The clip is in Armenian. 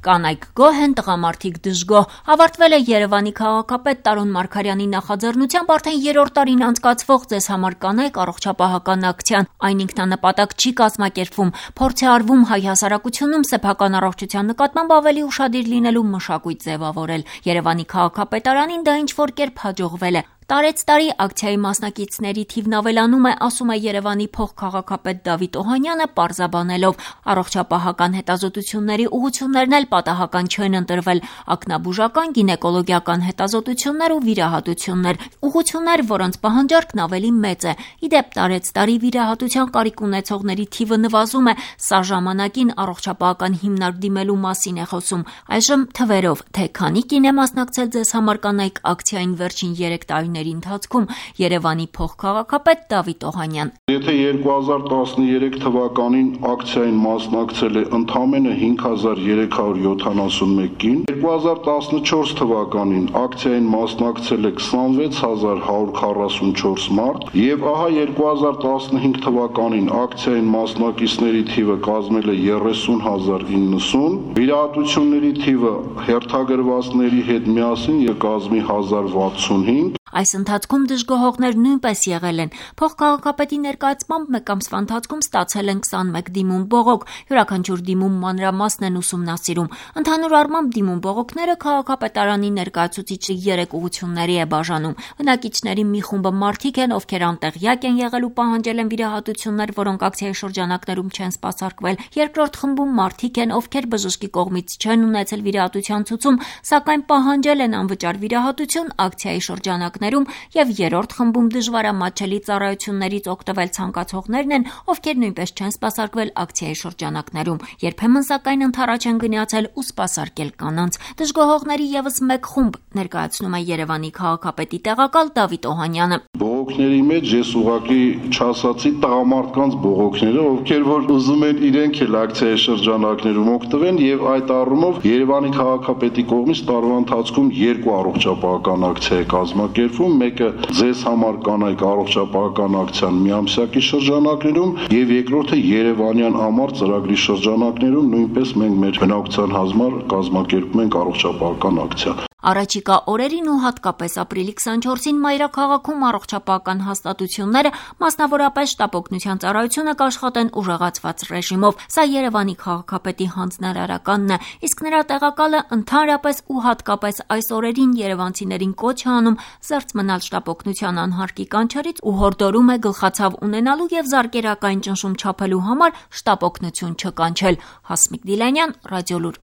Կանայք գոհ են, տղամարդիկ դժգոհ։ Ավարտվել է Երևանի քաղաքապետ Տարոն Մարգարյանի նախաձեռնությամբ արդեն 3-րդ տարին անցկացվող «Ձեզ համար կանայք» առողջապահական ակցիան։ Այն ինքնանպատակ չի կազմակերպվում, փորձ է արվում հայ հասարակությունում սեփական առողջության նկատմամբ ավելի ուշադիր լինելու մշակույթ ձևավորել։ Երևանի քաղաքապետարանին դա ինչ-որ կերպ հաջողվել է։ Տարեց տարի ակցիայի մասնակիցների թիվն ավելանում է, ասում է Երևանի փոխքաղաքապետ Դավիթ Օհանյանը, պարզաբանելով. առողջապահական հետազոտությունների ուղղություններն էլ պատահական չեն ընտրվել, ակնաբուժական, գինեկոլոգիական հետազոտություններ ու վիրահատություններ, ուղղություններ, որոնց պահանջարկն ավելի մեծ է։ Ի դեպ, տարեց տարի վիրահատության կարիք ունեցողների թիվը նվազում է, սա ժամանակին առողջապահական հիմնարկ դիմելու մասին է խոսում։ Այժմ թվերով, թե քանի կին է մասնակցել «Ձեզ համար կանայք» ակցիային վերջին 3 տարիների ընթացքում, Երևանի փոխքաղաքապետ Դավիթ Օհանյան. Եթե 2013 թվականին ակցիային մասնակցել է ընդամենը 5371 կին, 2014 թվականին ակցիային մասնակցել է 26144 մարդ, եւ ահա 2015 թվականին ակցիային մասնակիցների թիվը կազմել է 30090, վիրահատությունների թիվը հերթագրվածների հետ միասին կազմի 1065։ Այս ընթացքում դժգոհողներ նույնպես եղել են։ Փոխքաղաքապետի ներկայացմամբ մեկ ամսվա ընթացքում ստացել են 21 դիմում բողոք, յուրաքանչյուր դիմում մանրամասն են ուսումնասիրում։ Ընդհանուր առմամբ դիմում բողոքները քաղաքապետարանի ներկայացուցիչի 3 ուղղությունների է բաժանում։ Բնակիչների մի խումբը մարդիկ են, ովքեր անտեղյակ են եղել ու պահանջել են վիրահատություններ, որոնք ակցիայի շրջանակներում չեն սպասարկվել։ Երկրորդ խմբում մարդիկ են, ովքեր բժշկի կողմից չեն ունեցել վիրահատության ցուցում, սակայն պահանջել են անվճար վիրահատություն ակցիայի շրջանակներում, եւ երրորդ խմբում դժվարամատչելի ծառայություններից օգտվել ցանկացողներն են, ովքեր նույնպես չեն սպասարկվել ակցիայի շրջանակներում։ Երբեմն սակայն ընդառաջ են գնացել ու սպասարկել կանանց։ Դժգոհողների եւս մեկ խումբ ներկայացնում է Երևանի քաղաքապետի տեղակալ Դավիթ Օհանյանը։ Բողոքների մեջ ես ուղղակի չասացի տղամարդկանց բողոքները, ովքեր որ ուզում են իրենք էլ ակցիայի շրջանակներում օգտվեն, եւ այդ առումով Երևանի քաղաքապետի կողմից տարվա ընթացքում 2 առողջապահական ակցիա է կազմակերպվում, մեկը «Ձեզ համար կանայք» առողջապահական ակցիան միամսյակի շրջանակներում եւ երկրորդը Երևանյան ամառ ծրագրի շրջանակներում նույնպես մենք մեր բնակության համար կազմակերպում ենք առողջապահական ակցիա։ Առաջիկա օրերին ու հատկապես ապրիլի 24-ին մայրաքաղաքում առողջապահական հաստատությունները, մասնավորապես շտապօգնության ծառայությունը կաշխատեն ուժեղացված ռեժիմով։ Սա Երևանի քաղաքապետի հանձնարարականն է, իսկ նրա տեղակալը ընդհանրապես ու հատկապես այս օրերին երևանցիներին կոչ է անում զերծ մնալ շտապօգնության անհարկի կանչերից ու հորդորում է գլխացավ ունենալու եւ զարկերակային ճնշում չափելու համար շտապօգնություն չկանչել։ Հասմիկ Դիլանյան, Ռադիոլուր։